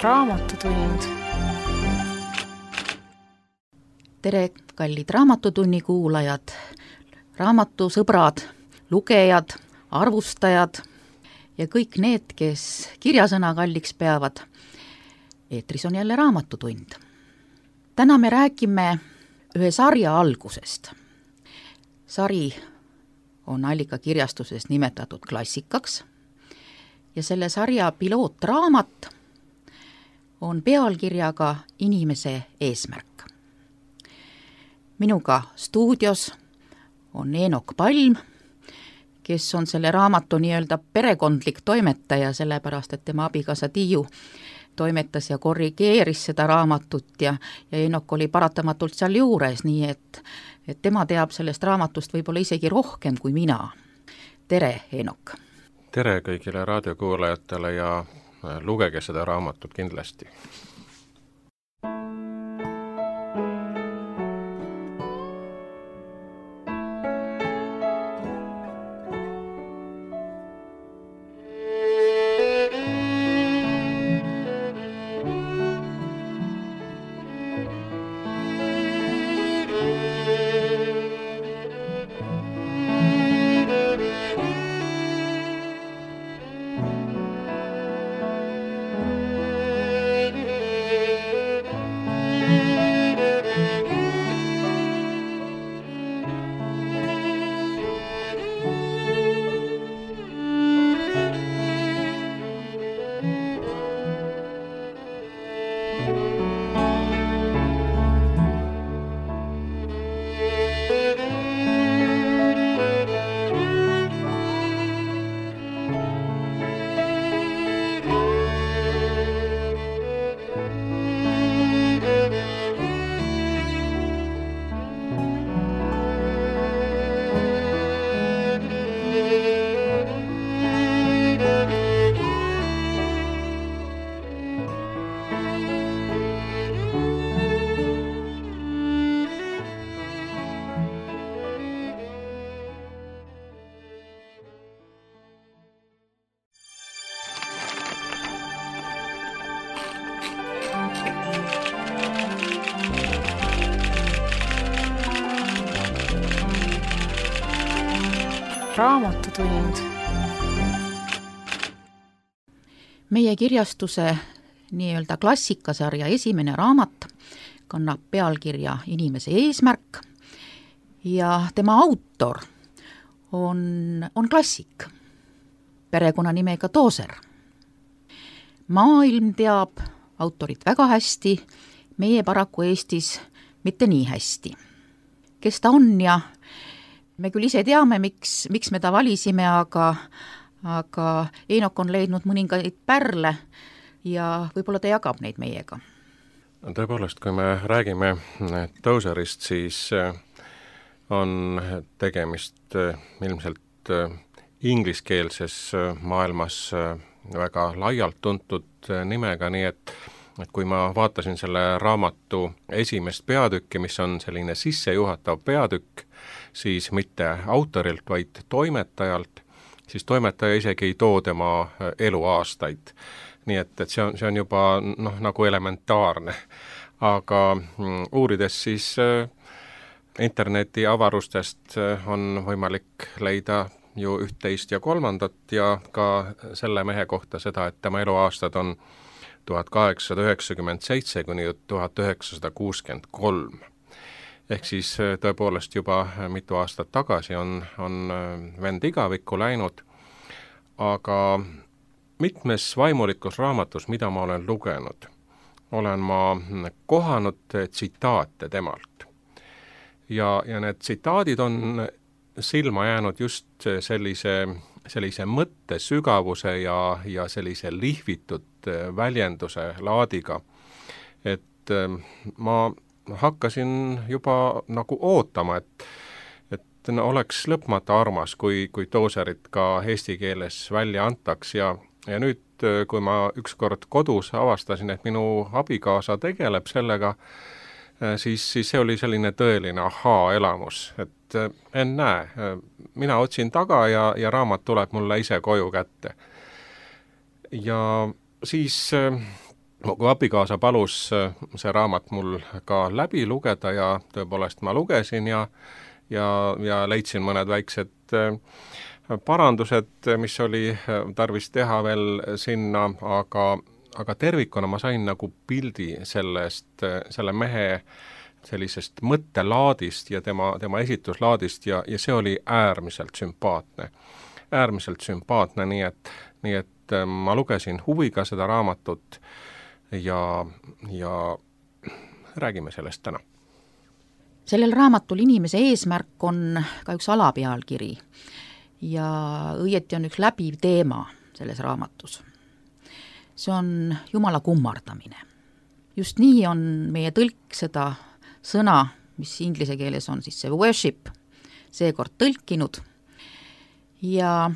Raamatutund. Tere, kallid Raamatutunni kuulajad, raamatusõbrad, lugejad, arvustajad ja kõik need, kes kirjasõna kalliks peavad. Eetris on jälle Raamatutund. Täna me räägime ühe sarja algusest. Sari on Allikakirjastuses nimetatud klassikaks ja selle sarja pilootraamat on pealkirjaga Inimese eesmärk. Minuga stuudios on Eenok Palm, kes on selle raamatu nii-öelda perekondlik toimetaja, sellepärast et tema abikaasa Tiiu toimetas ja korrigeeris seda raamatut ja Eenok oli paratamatult seal juures, nii et tema teab sellest raamatust võib-olla isegi rohkem kui mina. Tere, Eenok! Tere kõigile raadiokuulajatele ja lugege seda raamatut kindlasti. Raamatutund. Meie kirjastuse nii-öelda klassikasarja esimene raamat kannab pealkirja Inimese eesmärk ja tema autor on klassik, perekonnanimega Tooser. Maailm teab autorit väga hästi, meie paraku Eestis mitte nii hästi. Kes ta on ja me küll ise teame, miks me ta valisime, aga Eenok on leidnud mõningaid pärle ja võib-olla ta jagab neid meiega. Tõepoolest, kui me räägime Tooserist, siis on tegemist ilmselt ingliskeelses maailmas väga laialt tuntud nimega, nii et kui ma vaatasin selle raamatu esimest peatükki, mis on selline sissejuhatav peatükk, siis mitte autorilt, vaid toimetajalt, siis toimetaja isegi ei too tema eluaastaid. Nii et see on juba nagu elementaarne. Aga uurides siis interneti avarustest on võimalik leida ju 11 ja 3 ja ka selle mehe kohta seda, et tema eluaastad on 1897 kuni 1963. Ehk siis tõepoolest juba mitu aastat tagasi on vend igavikku läinud, aga mitmes vaimulikus raamatus, mida ma olen lugenud, olen ma kohanud tsitaate temalt. Ja need tsitaadid on silma jäänud just sellise mõtte sügavuse ja sellise lihvitud väljenduse laadiga, et ma hakkasin juba nagu ootama, et oleks lõpmata armas, kui Tooserit ka eesti keeles välja antaks ja nüüd, kui ma ükskord kodus avastasin, et minu abikaasa tegeleb sellega, siis see oli selline tõeline ahaa-elamus, et ennäe, mina otsin taga ja raamat tuleb mulle ise koju kätte. Ja siis kui abikaasa palus see raamat mul ka läbi lugeda ja tõepoolest ma lugesin ja leidsin mõned väiksed parandused, mis oli tarvis teha veel sinna, aga tervikuna ma sain nagu pildi selle mehe sellisest mõttelaadist ja tema esituslaadist ja see oli äärmiselt sümpaatne. Äärmiselt sümpaatne, nii et ma lugesin huviga seda raamatut ja räägime sellest täna. Sellel raamatul Inimese eesmärk on ka üks alapealkiri ja õieti on üks läbiv teema selles raamatus. See on Jumala kummardamine. Just nii on meie tõlk seda sõna, mis inglise keeles on siis see worship, seekord tõlkinud ja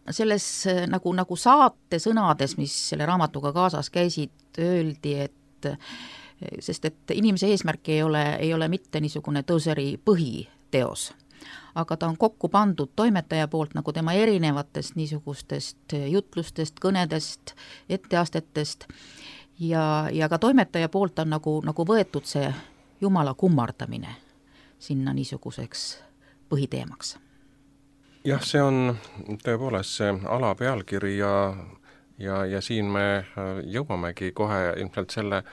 selles nagu saate sõnades, mis selle raamatuga kaasas käisid, öeldi, sest inimese eesmärk ei ole mitte niisugune Tozeri põhiteos, aga ta on kokku pandud toimetaja poolt nagu tema erinevatest niisugustest jutlustest, kõnedest, etteastetest ja ka toimetaja poolt on nagu võetud see Jumala kummardamine sinna niisuguseks põhiteemaks. Jah, see on tõepoolest see alapealkiri ja siin me jõuamegi kohe ilmselt selle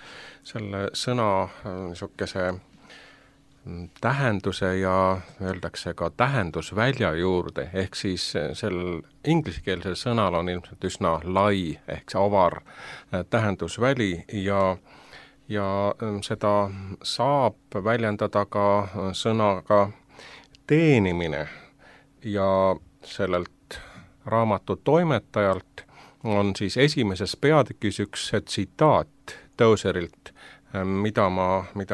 sõna niisuguse tähenduse ja öeldakse ka tähendusvälja juurde, ehk siis sel ingliskeelsel sõnal on ilmselt üsna lai ehk see avar tähendusväli ja seda saab väljendada ka sõnaga teenimine ja sellelt raamatu toimetajalt on siis esimeses peatükis üks tsitaat Tozerilt, mida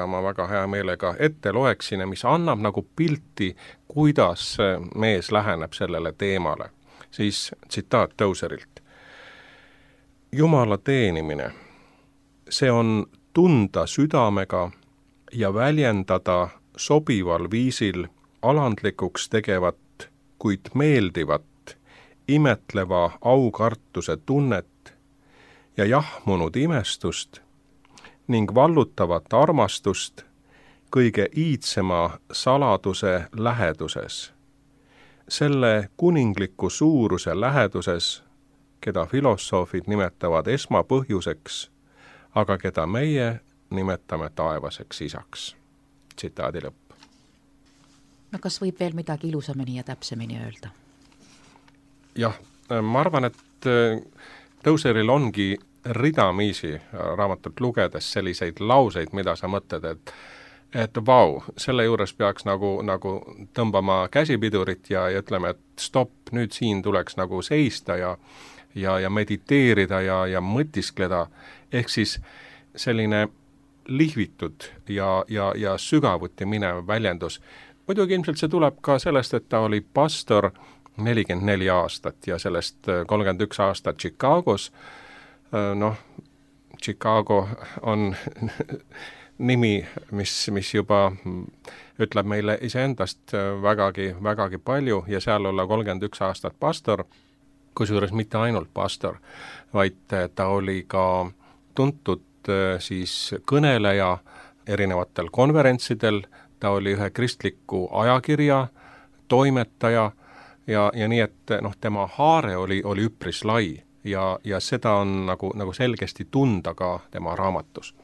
ma väga hea meelega ette loeksin ja mis annab nagu pilti, kuidas mees läheneb sellele teemale. Siis tsitaat Tozerilt. Jumala teenimine, see on tunda südamega ja väljendada sobival viisil alandlikuks tegevat, kuid meeldivat, imetleva aukartuse tunnet ja jahmunud imestust ning vallutavat armastust kõige iidsema saladuse läheduses, selle kuningliku suuruse läheduses, keda filosoofid nimetavad esmapõhjuseks, aga keda meie nimetame taevaseks isaks. Tsitaadi lõpp. No kas võib veel midagi ilusamini ja täpsemini öelda? Jah, ma arvan, et Tozeril ongi ridamisi raamatut lugedes selliseid lauseid, mida sa mõtled, et vau, selle juures peaks nagu tõmbama käsipidurit ja ütleme, et stopp, nüüd siin tuleks nagu seista ja mediteerida ja mõtiskleda, ehk siis selline lihvitud ja sügavuti minev väljendus. Muidugi ilmselt see tuleb ka sellest, et ta oli pastor 44 aastat ja sellest 31 aastat Chicagos. Chicago on nimi, mis juba ütleb meile iseendast vägagi palju ja seal olla 31 aastat pastor, kusjuures mitte ainult pastor, vaid ta oli ka tuntud siis kõneleja erinevatel konverentsidel, ta oli ühe kristliku ajakirja toimetaja ja nii, et tema haare oli üpris lai ja seda on nagu selgesti tunda ka tema raamatus.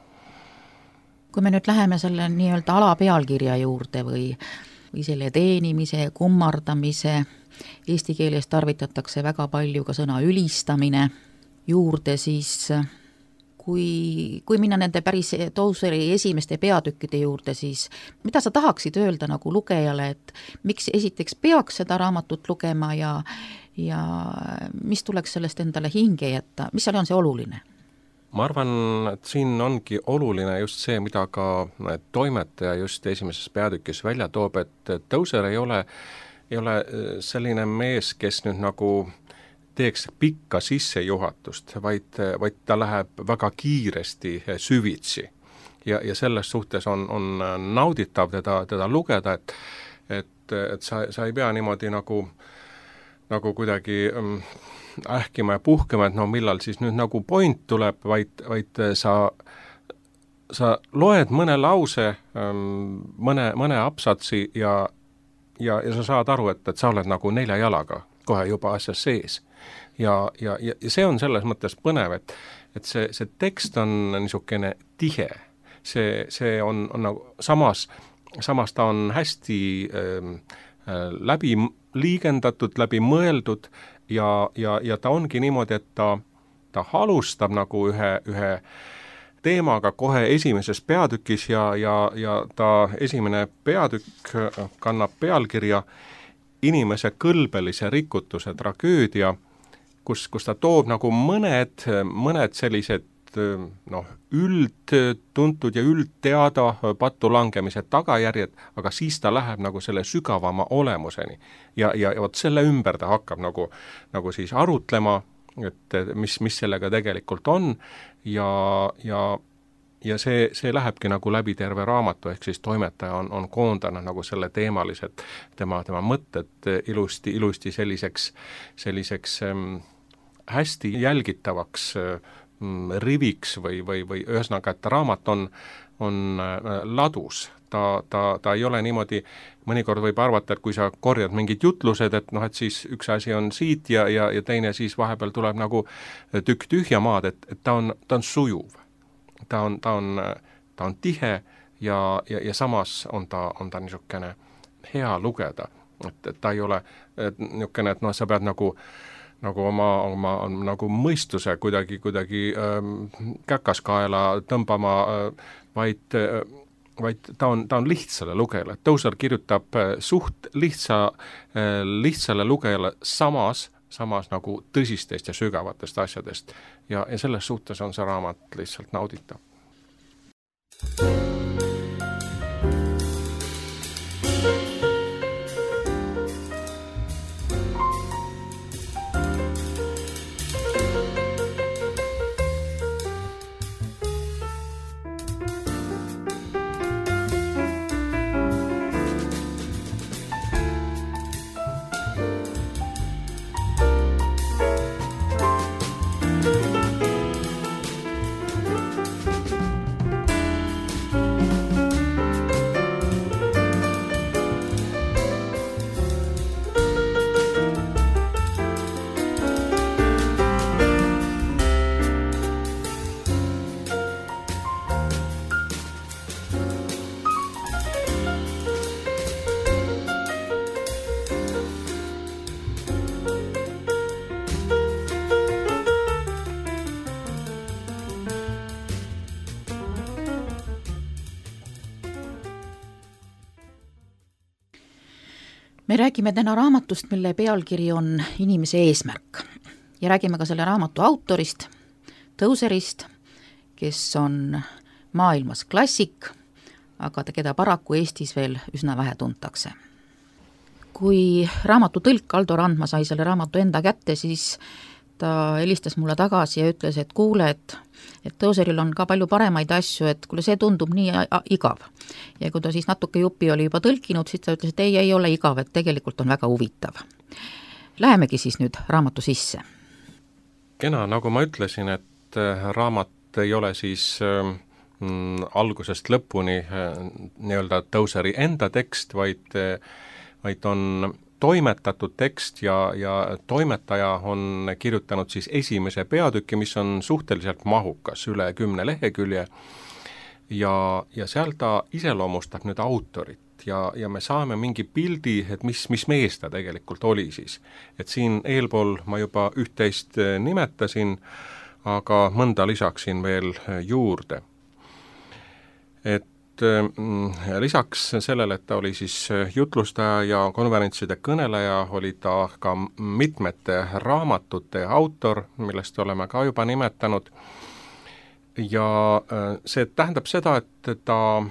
Kui me nüüd läheme selle nii-öelda alapealkirja juurde või selle teenimise, kummardamise, eesti keeles tarvitatakse väga palju ka sõna ülistamine juurde, siis kui minna nende päris Tozeri esimeste peatükkide juurde, siis mida sa tahaksid öelda nagu lugejale, et miks esiteks peaks seda raamatut lugema ja mis tuleks sellest endale hinge jätta, mis seal on see oluline? Ma arvan, et siin ongi oluline just see, mida ka toimetaja just esimeses peatükis välja toob, et Tozer ei ole selline mees, kes nüüd nagu teeks pikka sissejuhatust, vaid ta läheb väga kiiresti süvitsi. Ja selles suhtes on nauditav teda lugeda, et sa ei pea niimoodi nagu nagu kuidagi ähkima ja puhkema, et no millal siis nüüd nagu point tuleb, vaid sa loed mõne lause, mõne apsatsi ja sa saad aru, et sa oled nagu 4 jalaga kohe juba asjas sees. Ja see on selles mõttes põnev, et see tekst on niisugune tihe. See on nagu samas ta on hästi läbi liigendatud, läbi mõeldud ja ta ongi niimoodi, et ta alustab nagu ühe teemaga kohe esimeses peatükis ja ta esimene peatükk kannab pealkirja inimese kõlbelise rikutuse tragöödia, kus ta toob nagu mõned sellised üldtuntud ja üldteada pattu langemise tagajärjed, aga siis ta läheb nagu selle sügavama olemuseni. Ja vot selle ümber ta hakkab nagu siis arutlema, et mis sellega tegelikult on ja see lähebki nagu läbi terve raamatu, ehk siis toimetaja on koondanud nagu selle teemalised tema mõtted ilusti selliseks hästi jälgitavaks riviks või ühesõnaga, et raamat on ladus. Ta ei ole niimoodi, mõnikord võib arvata, et kui sa korjad mingid jutlused, et siis üks asi on siit ja teine siis vahepeal tuleb nagu tükk tühja maad, et ta on sujuv. Ta on tihe ja samas on ta niisugune hea lugeda, et ta ei ole niisugune, et sa pead nagu oma nagu mõistuse kuidagi käkaskaela tõmbama, vaid ta on lihtsale lugejale. Tozer kirjutab suht lihtsale lugejale samas nagu tõsistest ja sügavatest asjadest ja selles suhtes on see raamat lihtsalt nauditav. Me räägime täna raamatust, mille pealkiri on Inimese eesmärk ja räägime ka selle raamatu autorist, Tozerist, kes on maailmas klassik, aga keda paraku Eestis veel üsna vähe tuntakse. Kui raamatu tõlk Aldo Randma sai selle raamatu enda kätte, siis ta helistas mulle tagasi ja ütles, et kuule, et Tozeril on ka palju paremaid asju, et kuule, see tundub nii igav. Ja kui ta siis natuke jupi oli juba tõlkinud, siis ta ütles, et ei ole igav, et tegelikult on väga huvitav. Lähemegi siis nüüd raamatu sisse. Kena, nagu ma ütlesin, et raamat ei ole siis algusest lõpuni nii-öelda Tozeri enda tekst, vaid on toimetatud tekst ja toimetaja on kirjutanud siis esimese peatüki, mis on suhteliselt mahukas, üle 10 lehekülje ja seal ta iseloomustab nüüd autorit ja me saame mingi pildi, et mis mees ta tegelikult oli siis. Et siin eelpool ma juba üht-teist nimetasin, aga mõnda lisaksin veel juurde. Et lisaks sellele, et ta oli siis jutlustaja ja konverentside kõneleja, oli ta ka mitmete raamatute autor, millest oleme ka juba nimetanud. Ja see tähendab seda, et ta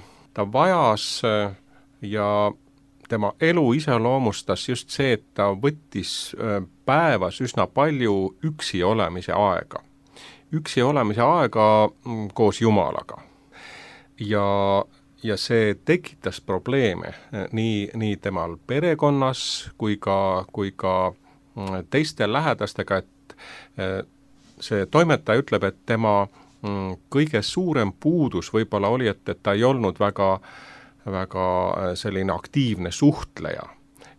vajas ja tema elu iseloomustas just see, et ta võttis päevas üsna palju üksi olemise aega. Üksi olemise aega koos Jumalaga. Ja see tekitas probleeme nii temal perekonnas kui ka teiste lähedastega, et see toimetaja ütleb, et tema kõige suurem puudus võib-olla oli, et ta ei olnud väga selline aktiivne suhtleja.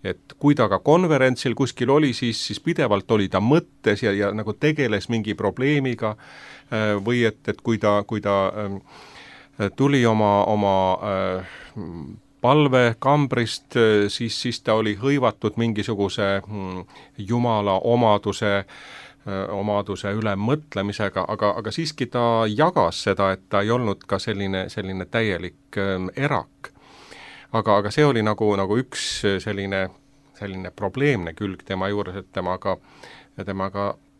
Et kui ta ka konverentsil kuskil oli, siis pidevalt oli ta mõttes ja nagu tegeles mingi probleemiga või et kui ta tuli oma palvekambrist, siis ta oli hõivatud mingisuguse Jumala omaduse üle mõtlemisega, aga siiski ta jagas seda, et ta ei olnud ka selline täielik erak. Aga see oli nagu üks selline probleemne külg tema juures, et temaga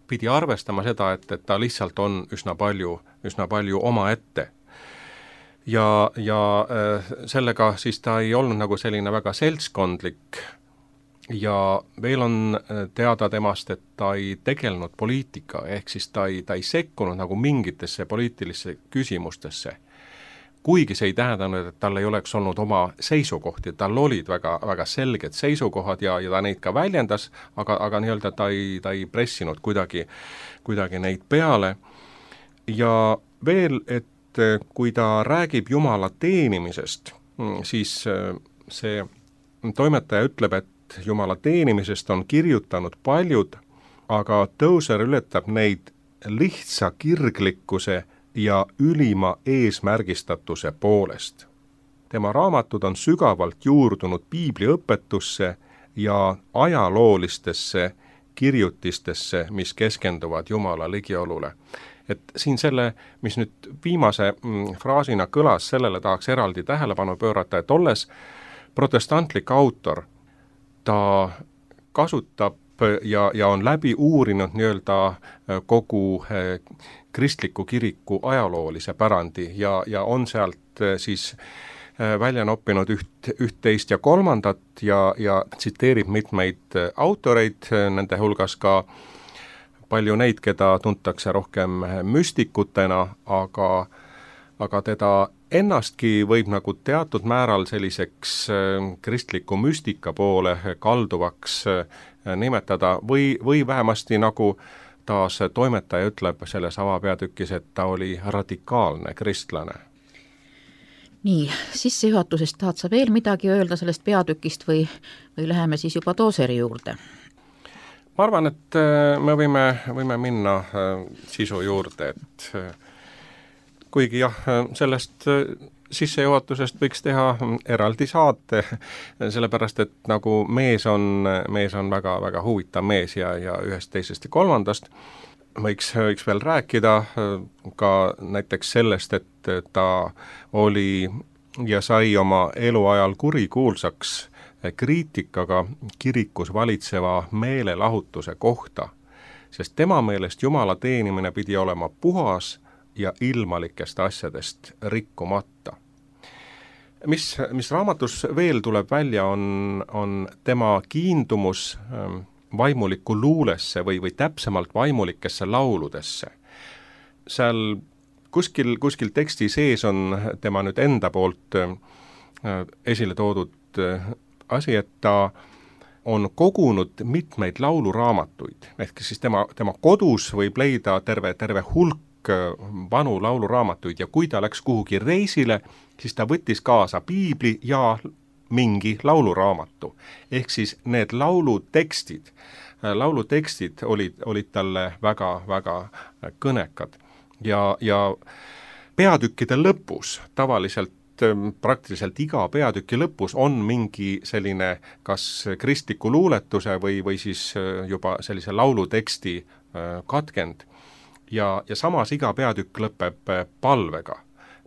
pidi arvestama seda, et ta lihtsalt on üsna palju omaette. Ja sellega siis ta ei olnud nagu selline väga seltskondlik ja veel on teada temast, et ta ei tegelenud poliitika, ehk siis ta ei sekkunud nagu mingitesse poliitilisse küsimustesse. Kuigi see ei tähendanud, et tal ei oleks olnud oma seisukohti, tal olid väga selged seisukohad ja ta neid ka väljendas, aga nii-öelda ta ei pressinud kuidagi neid peale. Ja veel, et kui ta räägib Jumala teenimisest, siis see toimetaja ütleb, et Jumala teenimisest on kirjutanud paljud, aga Tozer ületab neid lihtsa kirglikkuse ja ülima eesmärgistatuse poolest. Tema raamatud on sügavalt juurdunud piibliõpetusse ja ajaloolistesse kirjutistesse, mis keskenduvad Jumala ligiolule. Et siin selle, mis nüüd viimase fraasina kõlas, sellele tahaks eraldi tähelepanu pöörata, et olles protestantlik autor, ta kasutab ja on läbi uurinud nii-öelda kogu kristliku kiriku ajaloolise pärandi ja on sealt siis välja noppinud üht-teist ja kolmandat ja tsiteerib mitmeid autoreid, nende hulgas ka palju neid, keda tuntakse rohkem müstikutena, aga teda ennastki võib nagu teatud määral selliseks kristliku müstika poole kalduvaks nimetada või vähemasti nagu taas toimetaja ütleb selles avapeatükis, et ta oli radikaalne kristlane. Nii, sissejuhatusest tahad sa veel midagi öelda sellest peatükist või läheme siis juba Tozeri juurde? Ma arvan, et me võime minna sisu juurde, et kuigi jah, sellest sissejuhatusest võiks teha eraldi saate, sellepärast et nagu mees on väga huvitav mees ja ühest, teisest ja kolmandast, võiks veel rääkida ka näiteks sellest, et ta oli ja sai oma eluajal kurikuulsaks kriitikaga kirikus valitseva meelelahutuse kohta, sest tema meelest Jumala teenimine pidi olema puhas ja ilmalikest asjadest rikkumata. Mis raamatus veel tuleb välja, on tema kiindumus vaimulikku luulesse või täpsemalt vaimulikesse lauludesse. Seal kuskil teksti sees on tema nüüd enda poolt esile toodud asi, et ta on kogunud mitmeid lauluraamatuid, ehk siis tema kodus võib leida terve hulk vanu lauluraamatuid ja kui ta läks kuhugi reisile, siis ta võttis kaasa piibli ja mingi lauluraamatu. Ehk siis need laulutekstid olid talle väga kõnekad ja peatükkide lõpus tavaliselt praktiliselt iga peatüki lõpus on mingi selline kas kristliku luuletuse või siis juba sellise lauluteksti katkend. Ja samas iga peatükk lõpeb palvega,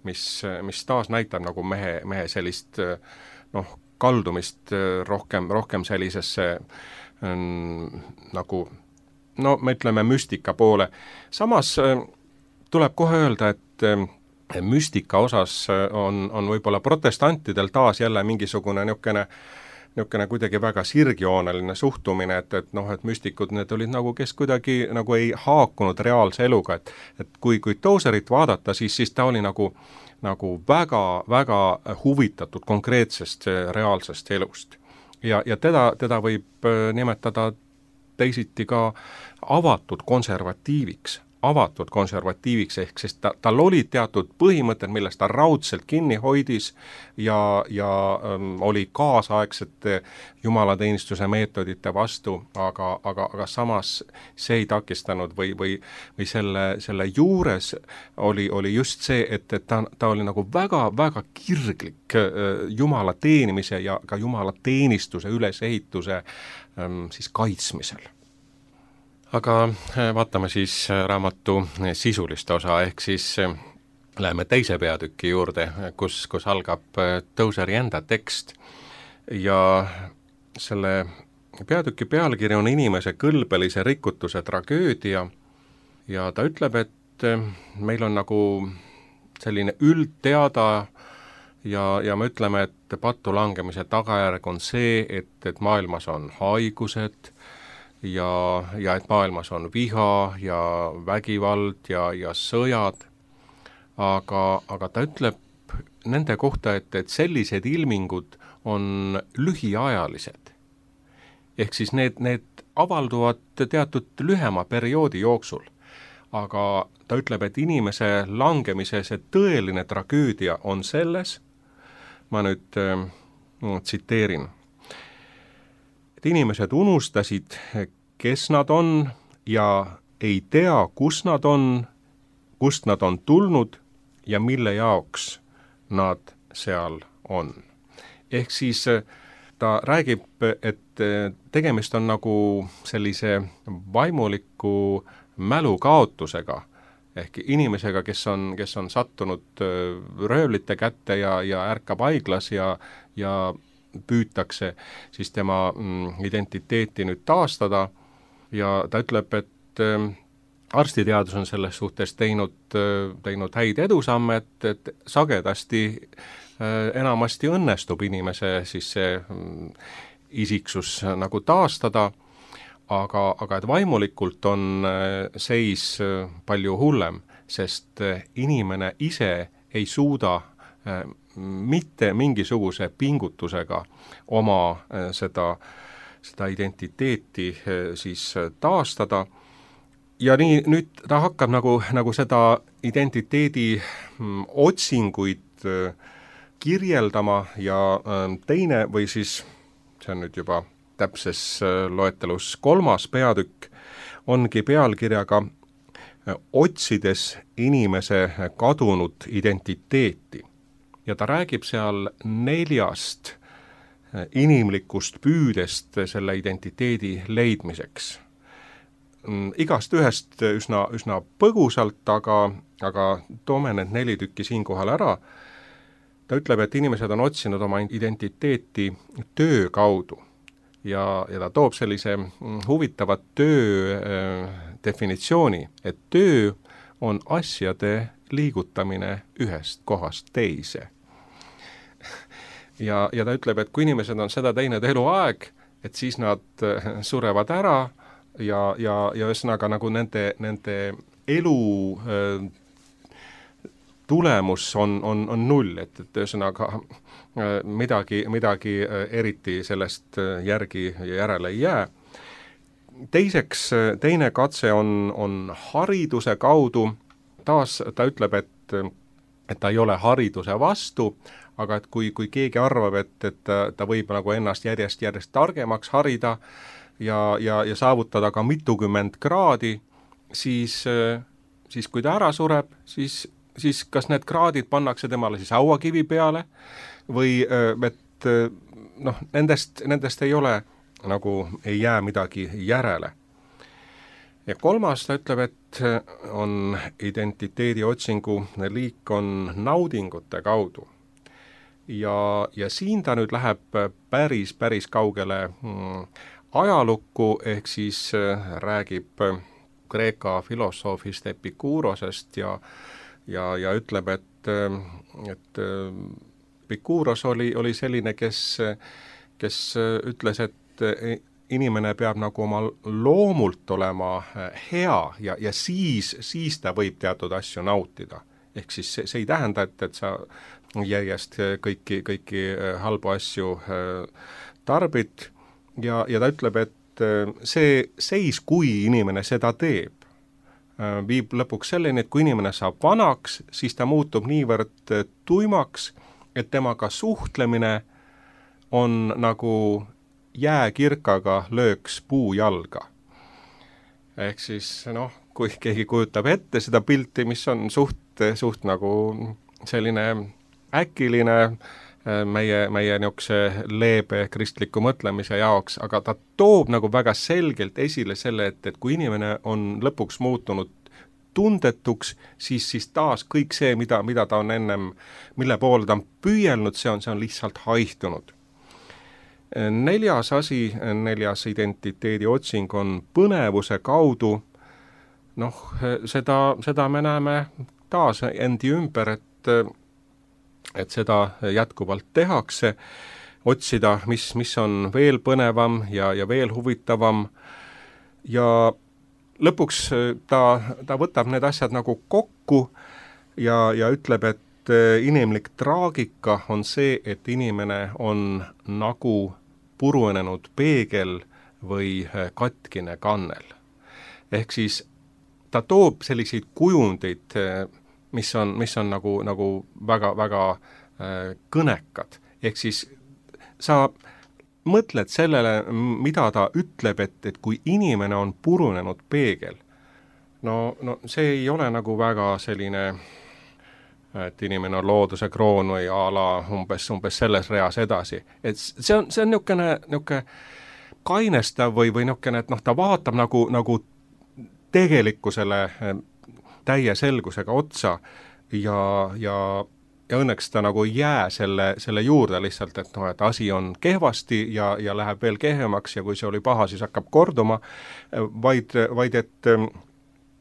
mis taas näitab nagu mehe sellist kaldumist rohkem sellisesse nagu me ütleme müstika poole. Samas tuleb kohe öelda, et müstika osas on võib-olla protestantidel taas jälle mingisugune niisugune kuidagi väga sirgjooneline suhtumine, et müstikud need olid nagu, kes kuidagi nagu ei haakunud reaalse eluga, et kui Tozerit vaadata, siis ta oli nagu väga huvitatud konkreetsest reaalsest elust. Ja teda võib nimetada teisiti ka avatud konservatiiviks, ehk siis tal olid teatud põhimõtted, millest ta raudselt kinni hoidis ja oli kaasaegsete jumalateenistuse meetodite vastu, aga samas see ei takistanud või selle juures oli just see, et ta oli nagu väga kirglik Jumala teenimise ja ka jumalateenistuse ülesehituse siis kaitsmisel. Aga vaatame siis raamatu sisulist osa, ehk siis läheme teise peatüki juurde, kus algab Tozeri enda tekst ja selle peatüki pealkiri on inimese kõlbelise rikutuse tragöödia ja ta ütleb, et meil on nagu selline üldteada ja me ütleme, et pattu langemise tagajärg on see, et maailmas on haigused ja et maailmas on viha ja vägivald ja sõjad, aga ta ütleb nende kohta, et sellised ilmingud on lühiajalised. Ehk siis need avalduvad teatud lühema perioodi jooksul, aga ta ütleb, et inimese langemise see tõeline tragöödia on selles, ma nüüd tsiteerin, et inimesed unustasid, kes nad on ja ei tea, kust nad on tulnud ja mille jaoks nad seal on. Ehk siis ta räägib, et tegemist on nagu sellise vaimuliku mälukaotusega, ehk inimesega, kes on sattunud röövlite kätte ja ärkab haiglas ja püütakse siis tema identiteeti nüüd taastada ja ta ütleb, et arstiteadus on selles suhtes teinud häid edusamme, et sagedasti enamasti õnnestub inimese siis see isiksus nagu taastada, aga et vaimulikult on seis palju hullem, sest inimene ise ei suuda mitte mingisuguse pingutusega oma seda identiteeti siis taastada ja nii nüüd ta hakkab nagu seda identiteedi otsinguid kirjeldama ja teine või siis, see on nüüd juba täpses loetelus 3. peatükk, ongi pealkirjaga Otsides inimese kadunud identiteeti. Ja ta räägib seal 4 inimlikust püüdest selle identiteedi leidmiseks. Igast ühest üsna põgusalt, aga toome need 4 tükki siinkohal ära. Ta ütleb, et inimesed on otsinud oma identiteeti töö kaudu ja ta toob sellise huvitava töö definitsiooni, et töö on asjade liigutamine ühest kohast teise. Ja ta ütleb, et kui inimesed on seda teinud eluaeg, et siis nad surevad ära ja ühesõnaga nagu nende elu tulemus on null, et ühesõnaga midagi eriti sellest järele ei jää. Teiseks, teine katse on hariduse kaudu, taas ta ütleb, et ta ei ole hariduse vastu, aga et kui keegi arvab, et ta võib nagu ennast järjest targemaks harida ja saavutada ka mitukümmend kraadi, siis kui ta ära sureb, siis kas need kraadid pannakse temale siis hauakivi peale või et nendest ei ole, nagu ei jää midagi järele. Ja 3. ta ütleb, et on identiteedi otsingu liik on naudingute kaudu. Ja siin ta nüüd läheb päris kaugele ajalukku, ehk siis räägib Kreeka filosoofist Epikuurosest ja ütleb, et Epikuuros oli selline, kes ütles, et inimene peab nagu oma loomult olema hea ja siis ta võib teatud asju nautida. Ehk siis see ei tähenda, et sa järjest kõiki halbu asju tarbid ja ta ütleb, et see seis, kui inimene seda teeb, viib lõpuks selleni, et kui inimene saab vanaks, siis ta muutub niivõrd tuimaks, et temaga suhtlemine on nagu jääkirkaga lööks puujalga. Ehk siis kui keegi kujutab ette seda pilti, mis on suht nagu selline äkiline meie niisuguse leebe kristliku mõtlemise jaoks, aga ta toob nagu väga selgelt esile selle, et kui inimene on lõpuks muutunud tundetuks, siis taas kõik see, mida ta on ennem, mille poole ta on püüelnud, see on lihtsalt haihtunud. Neljas asi, neljas identiteedi otsing on põnevuse kaudu. Seda me näeme taas endi ümber, et seda jätkuvalt tehakse, otsida, mis on veel põnevam ja veel huvitavam, ja lõpuks ta võtab need asjad nagu kokku ja ütleb, et inimlik traagika on see, et inimene on nagu purunenud peegel või katkine kannel. Ehk siis ta toob selliseid kujundeid, mis on nagu väga kõnekad. Ehk siis sa mõtled sellele, mida ta ütleb, et kui inimene on purunenud peegel, no see ei ole nagu väga selline, et inimene on looduse kroon või a la umbes selles reas edasi. Et see on niisugune kainestav või niisugune, et ta vaatab nagu tegelikkusele täie selgusega otsa ja õnneks ta nagu ei jää selle juurde lihtsalt, et asi on kehvasti ja läheb veel kehvemaks ja kui see oli paha, siis hakkab korduma, vaid et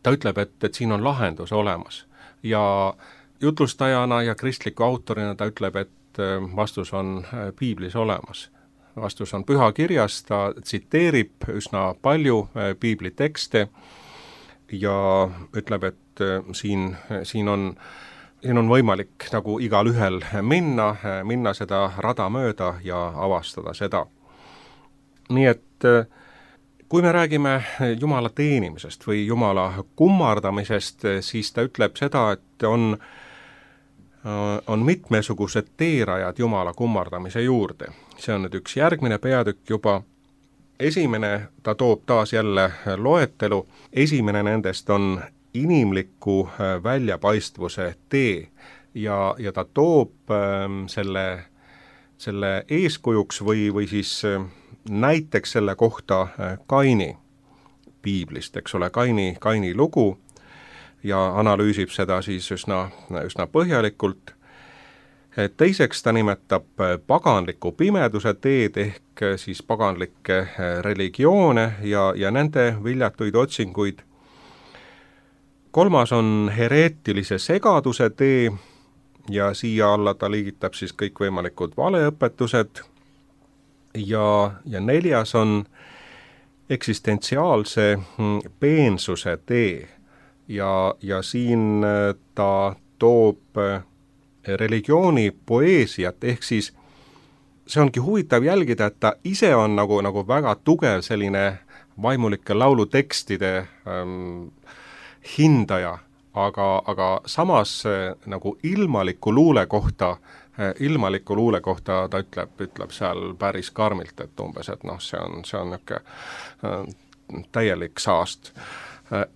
ta ütleb, et siin on lahendus olemas. Ja jutlustajana ja kristliku autorina ta ütleb, et vastus on piiblis olemas. Vastus on pühakirjas, ta tsiteerib üsna palju piibli tekste ja ütleb, et siin on võimalik nagu igal ühel minna seda rada mööda ja avastada seda. Nii et kui me räägime Jumala teenimisest või Jumala kummardamisest, siis ta ütleb seda, et on mitmesugused teerajad Jumala kummardamise juurde. See on nüüd üks järgmine peatükk juba. Esimene, ta toob taas jälle loetelu, esimene nendest on inimliku väljapaistvuse tee ja ta toob selle eeskujuks või siis näiteks selle kohta Kaini piiblist, eks ole, Kaini lugu ja analüüsib seda siis üsna põhjalikult. Teiseks ta nimetab paganliku pimeduse teed ehk siis paganlikke religioone ja nende viljatuid otsinguid. Kolmas on hereetilise segaduse tee ja siia alla ta liigitab siis kõikvõimalikud valeõpetused ja neljas on eksistentsiaalse peensuse tee ja siin ta toob religiooni poeesiat, ehk siis see ongi huvitav jälgida, et ta ise on nagu väga tugev selline vaimulike laulutekstide hindaja, aga samas nagu ilmaliku luule kohta ta ütleb seal päris karmilt, et umbes, et see on niisugune täielik saast.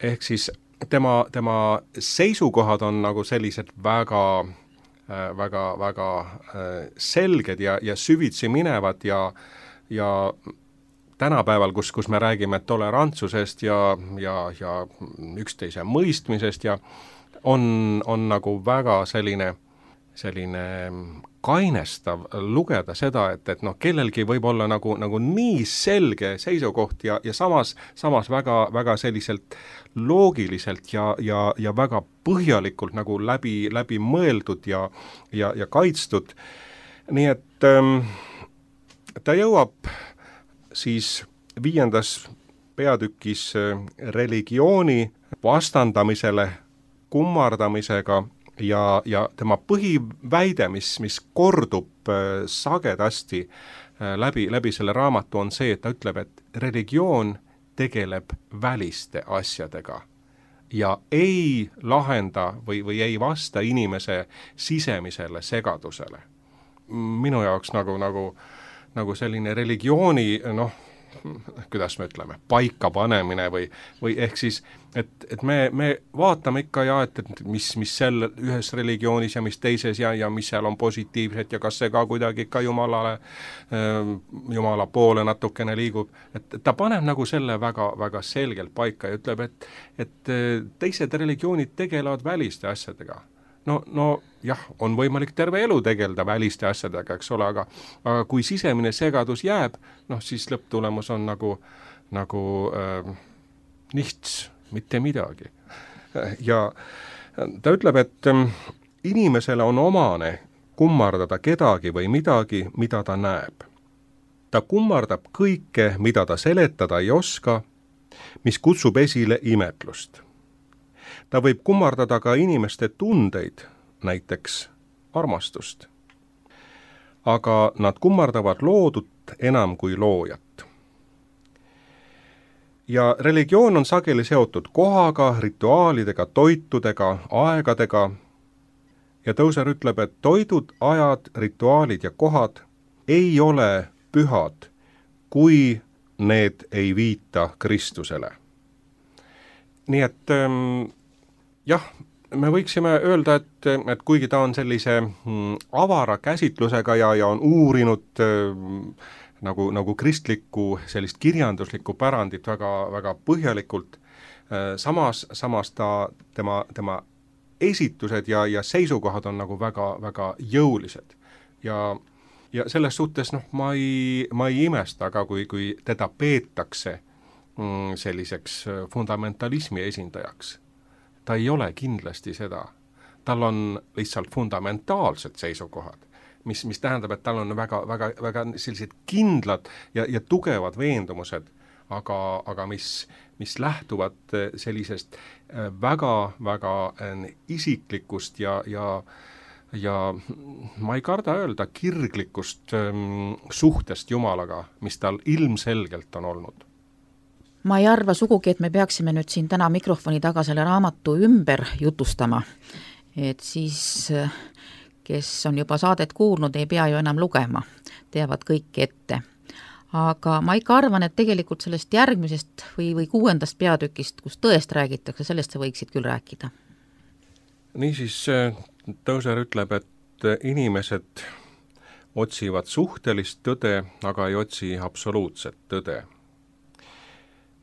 Ehk siis tema seisukohad on nagu sellised väga selged ja süvitsi minevad ja tänapäeval, kus me räägime tolerantsusest ja üksteise mõistmisest ja on nagu väga selline kainestav lugeda seda, et kellelgi võib olla nagu nii selge seisukoht ja samas väga selliselt loogiliselt ja väga põhjalikult nagu läbi mõeldud ja kaitstud. Nii et ta jõuab siis 5. peatükis religiooni vastandamisele kummardamisega ja tema põhiväide, mis kordub sagedasti läbi selle raamatu, on see, et ta ütleb, et religioon tegeleb väliste asjadega ja ei lahenda või ei vasta inimese sisemisele segadusele. Minu jaoks nagu selline religiooni, kuidas me ütleme, paika panemine või ehk siis, et me vaatame ikka ja, et mis seal ühes religioonis ja mis teises ja mis seal on positiivset ja kas see ka kuidagi ikka Jumala poole natukene liigub, et ta paneb nagu selle väga, väga selgelt paika ja ütleb, et teised religioonid tegelevad väliste asjadega. No jah, on võimalik terve elu tegeleda väliste asjadega, eks ole, aga kui sisemine segadus jääb, siis lõpptulemus on nagu nichts, mitte midagi. Ja ta ütleb, et inimesele on omane kummardada kedagi või midagi, mida ta näeb. Ta kummardab kõike, mida ta seletada ei oska, mis kutsub esile imetlust. Ta võib kummardada ka inimeste tundeid, näiteks armastust. Aga nad kummardavad loodut enam kui loojat. Ja religioon on sageli seotud kohaga, rituaalidega, toitudega, aegadega. Ja Tozer ütleb, et toidud, ajad, rituaalid ja kohad ei ole pühad, kui need ei viita Kristusele. Nii et jah, me võiksime öelda, et kuigi ta on sellise avara käsitlusega ja on uurinud nagu kristlikku sellist kirjanduslikku pärandit väga, väga põhjalikult, samas tema esitused ja seisukohad on nagu väga, väga jõulised. Ja selles suhtes ma ei imesta, aga kui teda peetakse selliseks fundamentalismi esindajaks. Ta ei ole kindlasti seda. Tal on lihtsalt fundamentaalsed seisukohad, mis tähendab, et tal on väga, väga, väga sellised kindlad ja tugevad veendumused, aga mis lähtuvad sellisest väga, väga isiklikust ja ma ei karda öelda kirglikust suhtest Jumalaga, mis tal ilmselgelt on olnud. Ma ei arva sugugi, et me peaksime nüüd siin täna mikrofoni taga selle raamatu ümber jutustama, et siis, kes on juba saadet kuulnud, ei pea ju enam lugema, teavad kõik ette. Aga ma ikka arvan, et tegelikult sellest järgmisest või 6. peatükist, kus tõest räägitakse, sellest sa võiksid küll rääkida. Niisiis, Tozer ütleb, et inimesed otsivad suhtelist tõde, aga ei otsi absoluutset tõde.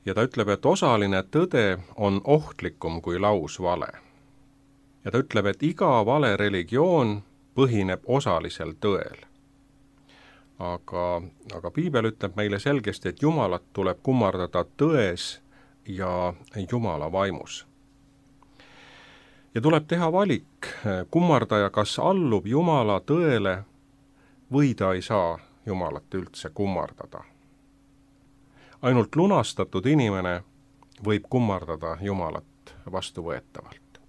Ja ta ütleb, et osaline tõde on ohtlikum kui lausvale. Ja ta ütleb, et iga vale religioon põhineb osalisel tõel. Aga Piibel ütleb meile selgesti, et Jumalat tuleb kummardada tões ja Jumala vaimus. Ja tuleb teha valik, kummardaja kas allub Jumala tõele või ta ei saa Jumalat üldse kummardada. Ainult lunastatud inimene võib kummardada Jumalat vastuvõetavalt.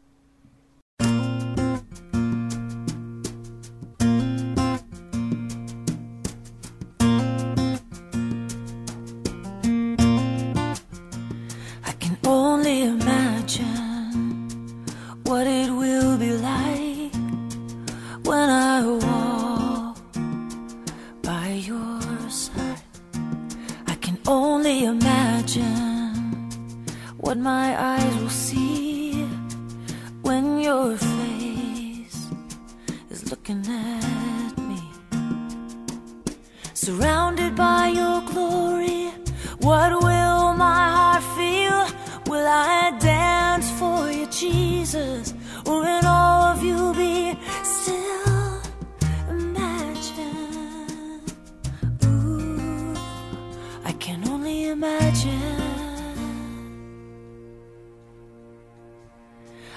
I can only imagine what it will be like when I walk by your side. Only imagine what my eyes will see when your face is looking at me. Surrounded by your glory, what will my heart feel? Will I dance for you, Jesus? Or in all of you be still?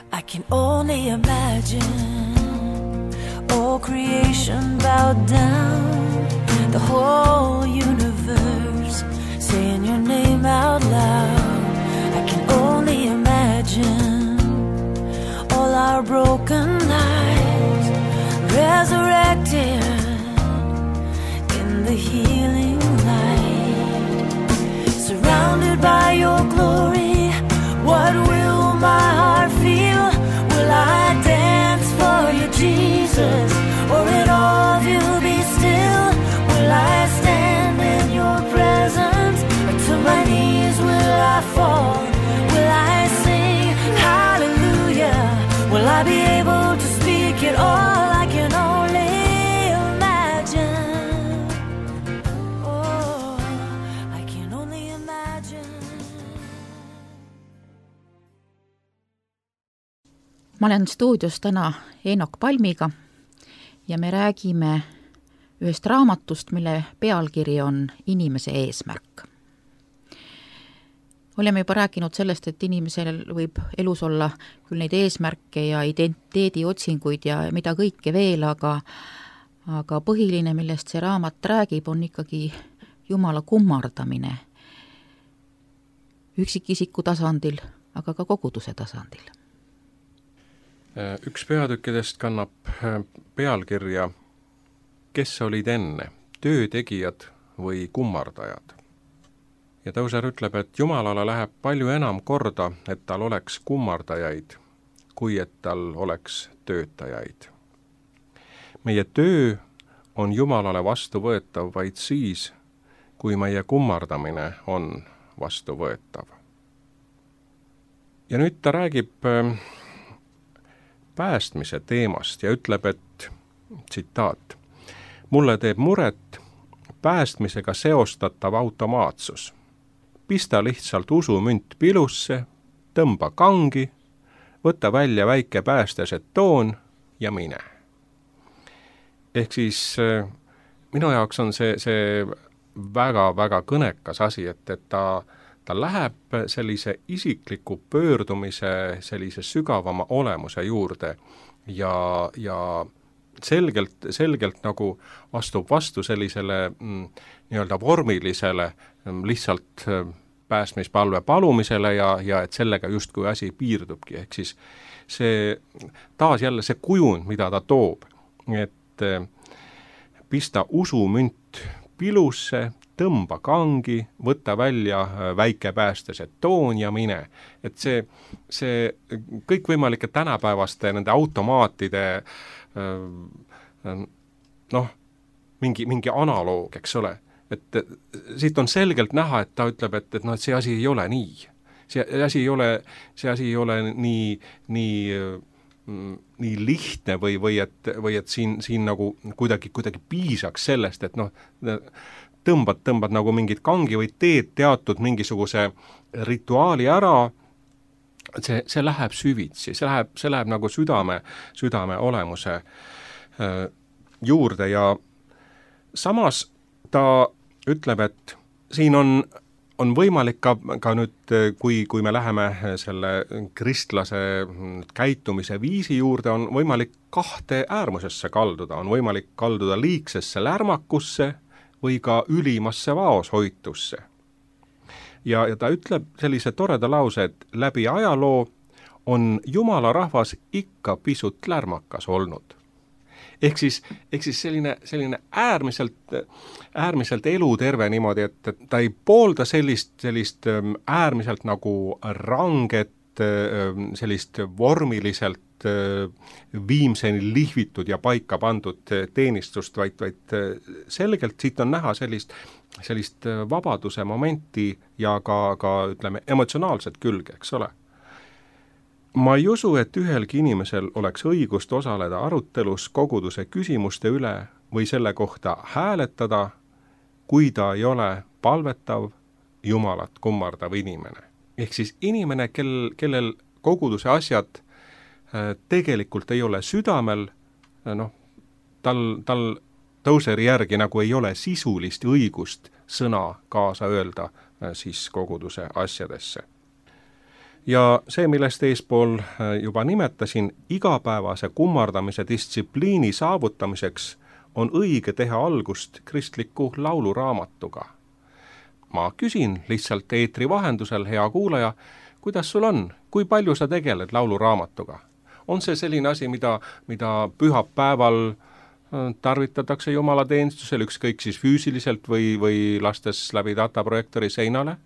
I can only imagine all creation bowed down, the whole universe saying your name out loud. I can only imagine all our broken lives the healing light. Surrounded by your glory, what will my heart feel? Will I dance for you, Jesus? Or in all of you be still? Will I stand in your presence? Or to my knees will I fall? Will I sing hallelujah? Will I be able to speak it all? I can only imagine. Oh, I can only imagine. Ma olen stuudios täna Eenok Palmiga ja me räägime ühest raamatust, mille pealkiri on Inimese eesmärk. Oleme juba rääkinud sellest, et inimesel võib elus olla küll neid eesmärke ja identiteediotsinguid ja mida kõike veel, aga põhiline, millest see raamat räägib, on ikkagi Jumala kummardamine üksikisiku tasandil, aga ka koguduse tasandil. Üks peatükkidest kannab pealkirja Kes olid enne, töötegijad või kummardajad? Ja Tõuser ütleb, et Jumalale läheb palju enam korda, et tal oleks kummardajaid, kui et tal oleks töötajaid. Meie töö on Jumalale vastuvõetav vaid siis, kui meie kummardamine on vastuvõetav. Ja nüüd ta räägib päästmise teemast ja ütleb, et tsitaat: mulle teeb muret päästmisega seostatav automaatsus. Pista lihtsalt usumünt pilusse, tõmba kangi, võta välja väike päästežetoon ja mine. Ehk siis minu jaoks on see väga-väga kõnekas asi, et ta läheb sellise isikliku pöördumise, sellise sügavama olemuse juurde ja selgelt nagu astub vastu sellisele nii-öelda vormilisele lihtsalt päästmispalve palumisele ja et sellega justkui asi piirdubki. Ehk siis see taas jälle see kujund, mida ta toob, et pista usumünt pilusse, tõmba kangi, võta välja väike päästežetoon ja mine. Et see kõikvõimalike tänapäevaste nende automaatide mingi analoog, eks ole. Et siit on selgelt näha, et ta ütleb, et see asi ei ole nii. See asi ei ole nii lihtne või et siin nagu kuidagi piisaks sellest, et tõmbad nagu mingit kangi või teed teatud mingisuguse rituaali ära, see läheb süvitsi, see läheb nagu südame olemuse juurde ja samas ta ütleb, et siin on võimalik ka nüüd, kui me läheme selle kristlase käitumise viisi juurde, on võimalik kahte äärmusesse kalduda, on võimalik kalduda liigsesse lärmakusse või ka ülimasse vaoshoitusse. Ja ta ütleb sellise toreda lause, et läbi ajaloo on Jumala rahvas ikka pisut lärmakas olnud. Ehk siis selline äärmiselt eluterve niimoodi, et ta ei poolda sellist äärmiselt nagu ranget, sellist vormiliselt viimseni lihvitud ja paika pandud teenistust, vaid selgelt siit on näha sellist vabaduse momenti ja ka ütleme emotsionaalset külge, eks ole. Ma ei usu, et ühelgi inimesel oleks õigust osaleda arutelus koguduse küsimuste üle või selle kohta hääletada, kui ta ei ole palvetav, Jumalat kummardav inimene. Ehk siis inimene, kellel koguduse asjad tegelikult ei ole südamel, tal Tõuseri järgi nagu ei ole sisulist õigust sõna kaasa öelda siis koguduse asjadesse. Ja see, millest eespool juba nimetasin, igapäevase kummardamise distsipliini saavutamiseks on õige teha algust kristliku lauluraamatuga. Ma küsin lihtsalt eetri vahendusel, hea kuulaja, kuidas sul on? Kui palju sa tegeled lauluraamatuga? On see selline asi, mida pühapäeval tarvitatakse jumalateenistusel, ükskõik siis füüsiliselt või lastes läbi dataprojektori seinale.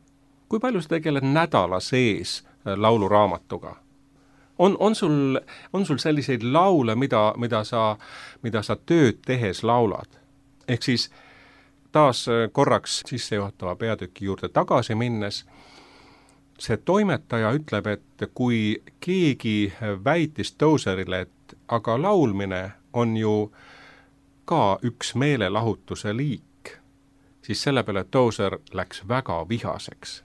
Kui palju sa tegeled nädala sees lauluraamatuga? On sul selliseid laule, mida sa tööd tehes laulad? Ehk siis taas korraks sissejuhatava peatüki juurde tagasi minnes, see toimetaja ütleb, et kui keegi väitis Tozerile, et aga laulmine on ju ka üks meelelahutuse liik, siis selle peale Tozer läks väga vihaseks.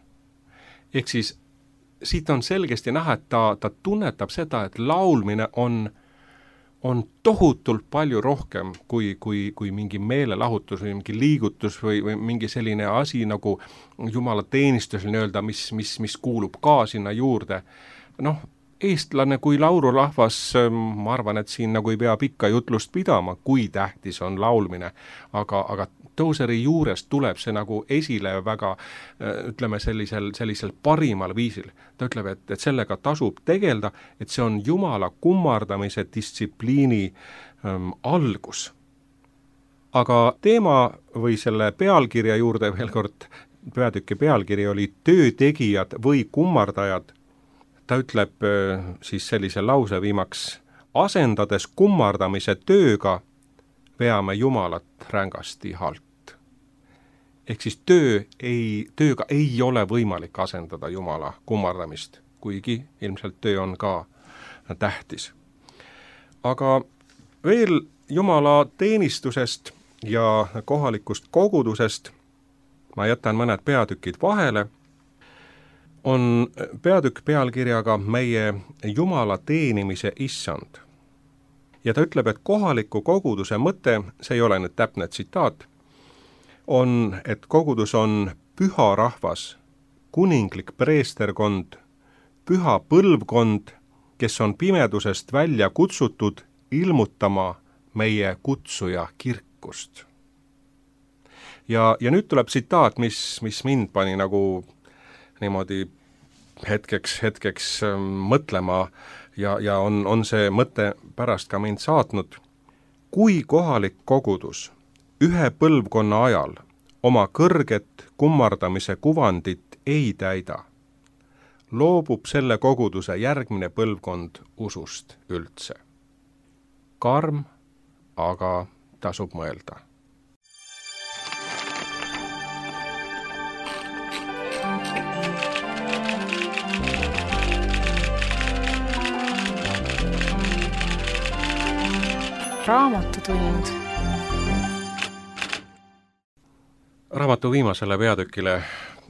Ehk siis siit on selgesti näha, et ta tunnetab seda, et laulmine on tohutult palju rohkem kui mingi meelelahutus või mingi liigutus või mingi selline asi nagu jumalateenistus nii-öelda, mis kuulub ka sinna juurde. Eestlane kui laulurahvas, ma arvan, et siin nagu ei pea pikka jutlust pidama, kui tähtis on laulmine, aga Tozeri juures tuleb see nagu esile väga, ütleme, sellisel parimal viisil. Ta ütleb, et sellega tasub tegelda, et see on Jumala kummardamise distsipliini algus. Aga teema või selle pealkirja juurde veel kord, peatüki pealkiri oli töötegijad või kummardajad. Ta ütleb siis sellise lause viimaks, asendades kummardamise tööga, veame Jumalat rängasti halt. Ehk siis tööga ei ole võimalik asendada Jumala kummardamist, kuigi ilmselt töö on ka tähtis. Aga veel Jumala teenistusest ja kohalikust kogudusest, ma jätan mõned peatükid vahele, on peatükk pealkirjaga Meie Jumala teenimise issand. Ja ta ütleb, et kohaliku koguduse mõte, see ei ole nüüd täpne tsitaat, on, et kogudus on püha rahvas, kuninglik preesterkond, püha põlvkond, kes on pimedusest välja kutsutud ilmutama meie kutsuja kirkust. Ja nüüd tuleb tsitaat, mis mind pani nagu niimoodi hetkeks mõtlema ja on see mõte pärast ka mind saatnud. Kui kohalik kogudus ühe põlvkonna ajal oma kõrget kummardamise kuvandit ei täida, loobub selle koguduse järgmine põlvkond usust üldse. Karm, aga tasub mõelda. Raamatutund. Raamatu viimasele peatükile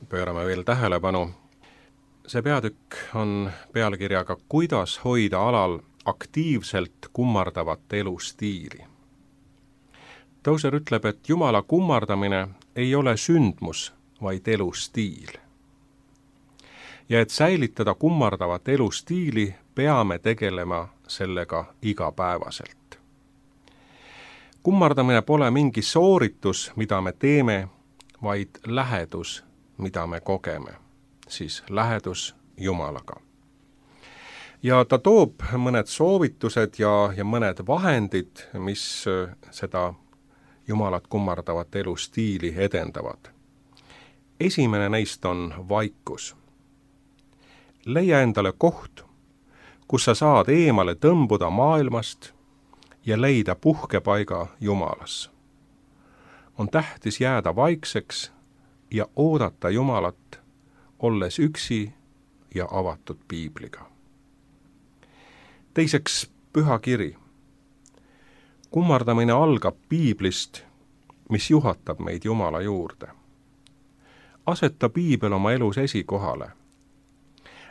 pöörame veel tähelepanu. See peatükk on pealkirjaga Kuidas hoida alal aktiivselt kummardavat elustiili. Tozer ütleb, et Jumala kummardamine ei ole sündmus, vaid elustiil. Ja et säilitada kummardavat elustiili, peame tegelema sellega igapäevaselt. Kummardamine pole mingi sooritus, mida me teeme, vaid lähedus, mida me kogeme, siis lähedus Jumalaga. Ja ta toob mõned soovitused ja mõned vahendid, mis seda Jumalat kummardavat elustiili edendavad. Esimene neist on vaikus. Leia endale koht, kus sa saad eemale tõmbuda maailmast ja leida puhkepaiga Jumalas. On tähtis jääda vaikseks ja oodata Jumalat, olles üksi ja avatud piibliga. Teiseks, püha kiri. Kummardamine algab piiblist, mis juhatab meid Jumala juurde. Aseta piibel oma elus esikohale.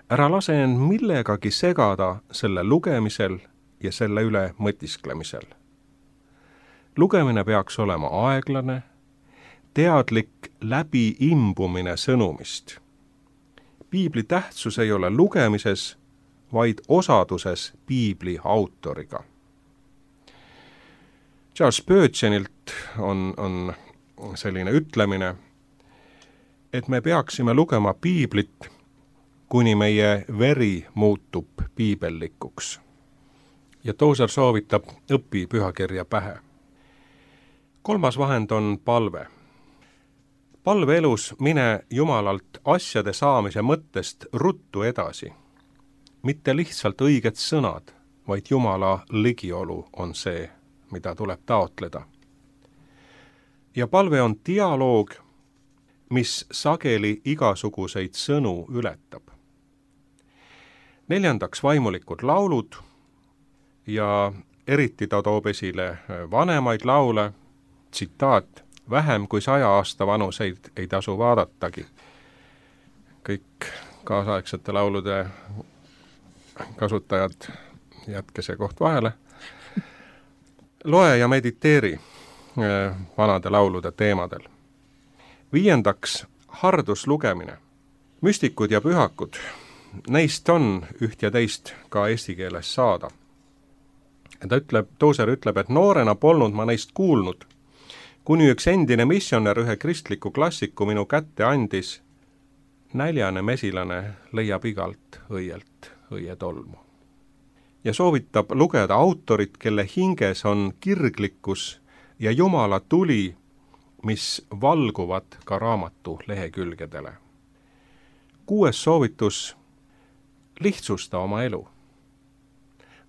Ära lase end millegagi segada selle lugemisel ja selle üle mõtisklemisel. Lugemine peaks olema aeglane, teadlik läbiimbumine sõnumist. Piibli tähtsus ei ole lugemises, vaid osaduses piibli autoriga. Charles Spurgeonilt on selline ütlemine, et me peaksime lugema piiblit, kuni meie veri muutub piibellikuks. Ja Tozer soovitab õpi pühakirja pähe. kolmas vahend on palve. Palve elus mine Jumalalt asjade saamise mõttest ruttu edasi. Mitte lihtsalt õiged sõnad, vaid Jumala ligiolu on see, mida tuleb taotleda. Ja palve on dialoog, mis sageli igasuguseid sõnu ületab. Neljandaks vaimulikud laulud ja eriti ta toob esile vanemaid laule, tsitaat, vähem kui 100 aasta vanuseid ei tasu vaadatagi. Kõik kaasaegsete laulude kasutajad, jätke see koht vahele. Loe ja mediteeri vanade laulude teemadel. Viiendaks, harduslugemine. Müstikud ja pühakud, neist on üht ja teist ka eesti keeles saada. Tooser ütleb, et noorena polnud ma neist kuulnud, kuni üks endine missionär ühe kristliku klassiku minu kätte andis. Näljane mesilane leiab igalt õielt õietolmu. Ja soovitab lugeda autorit, kelle hinges on kirglikkus ja Jumala tuli, mis valguvad ka raamatu lehekülgedele. 6. soovitus, lihtsusta oma elu.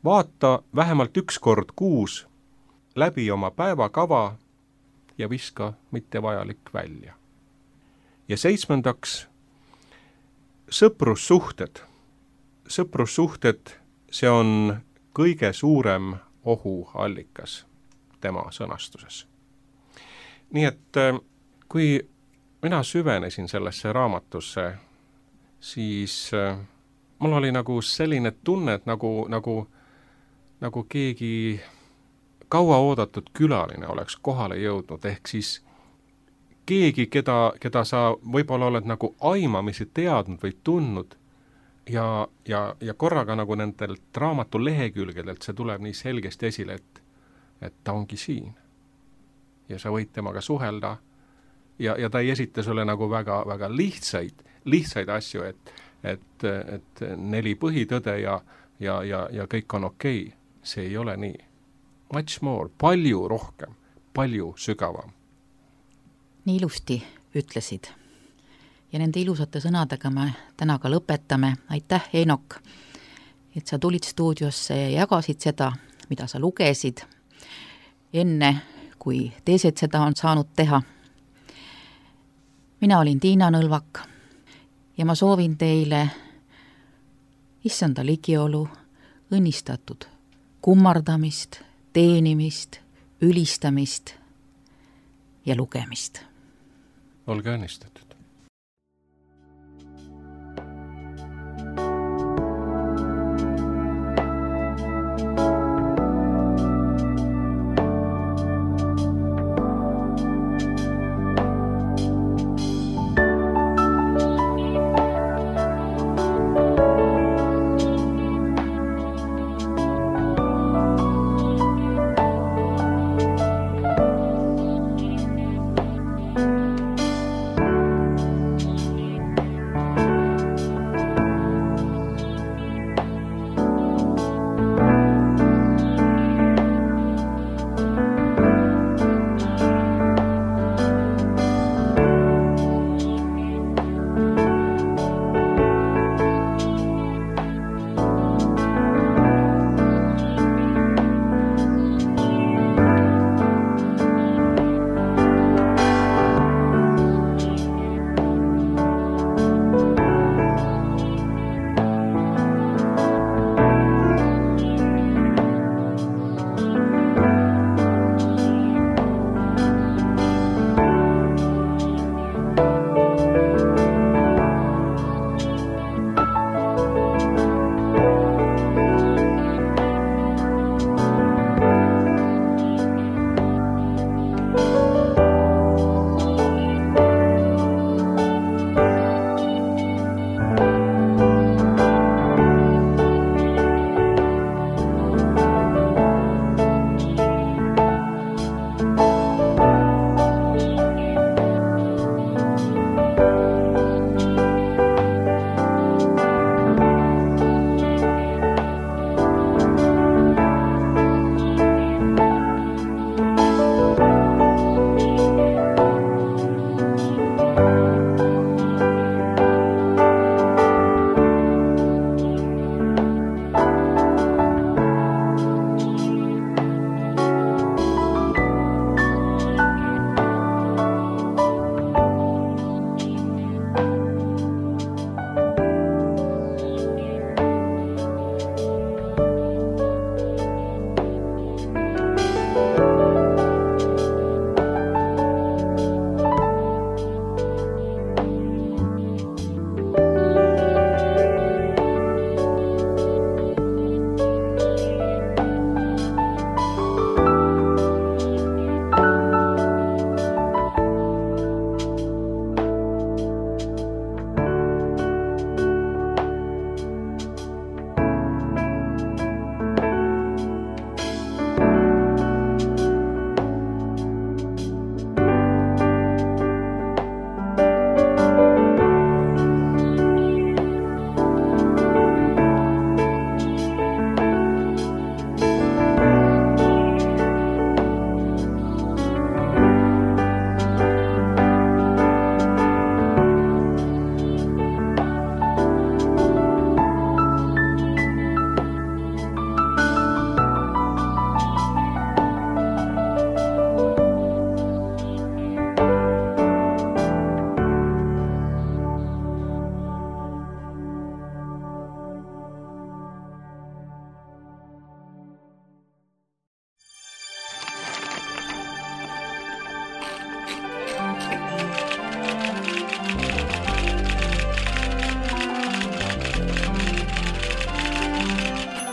Vaata vähemalt 1 kord kuus läbi oma päevakava ja viska mittevajalik välja. Ja 7. sõprussuhted. Sõprussuhted, see on kõige suurem ohuallikas tema sõnastuses. Nii et kui mina süvenesin sellesse raamatusse, siis mul oli nagu selline tunne, et nagu keegi kaua oodatud külaline oleks kohale jõudnud, ehk siis keegi, keda sa võib-olla oled nagu aimamisi teadnud või tundnud ja korraga nagu nendelt raamatu lehekülgedelt see tuleb nii selgesti esile, et ta ongi siin. Ja sa võid temaga suhelda ja ta ei esita sulle nagu väga lihtsaid asju, et 4 põhitõde ja kõik on okei. See ei ole nii. Much more, palju rohkem, palju sügavam. Nii ilusti ütlesid. Ja nende ilusate sõnadega me täna ka lõpetame. Aitäh, Eenok, et sa tulid stuudiosse ja jagasid seda, mida sa lugesid, enne kui teised seda on saanud teha. Mina olin Tiina Nõlvak ja ma soovin teile issanda ligiolu, õnnistatud kummardamist, teenimist, ülistamist ja lugemist. Olge õnnistatud.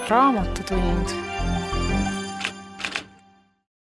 Raamatutund.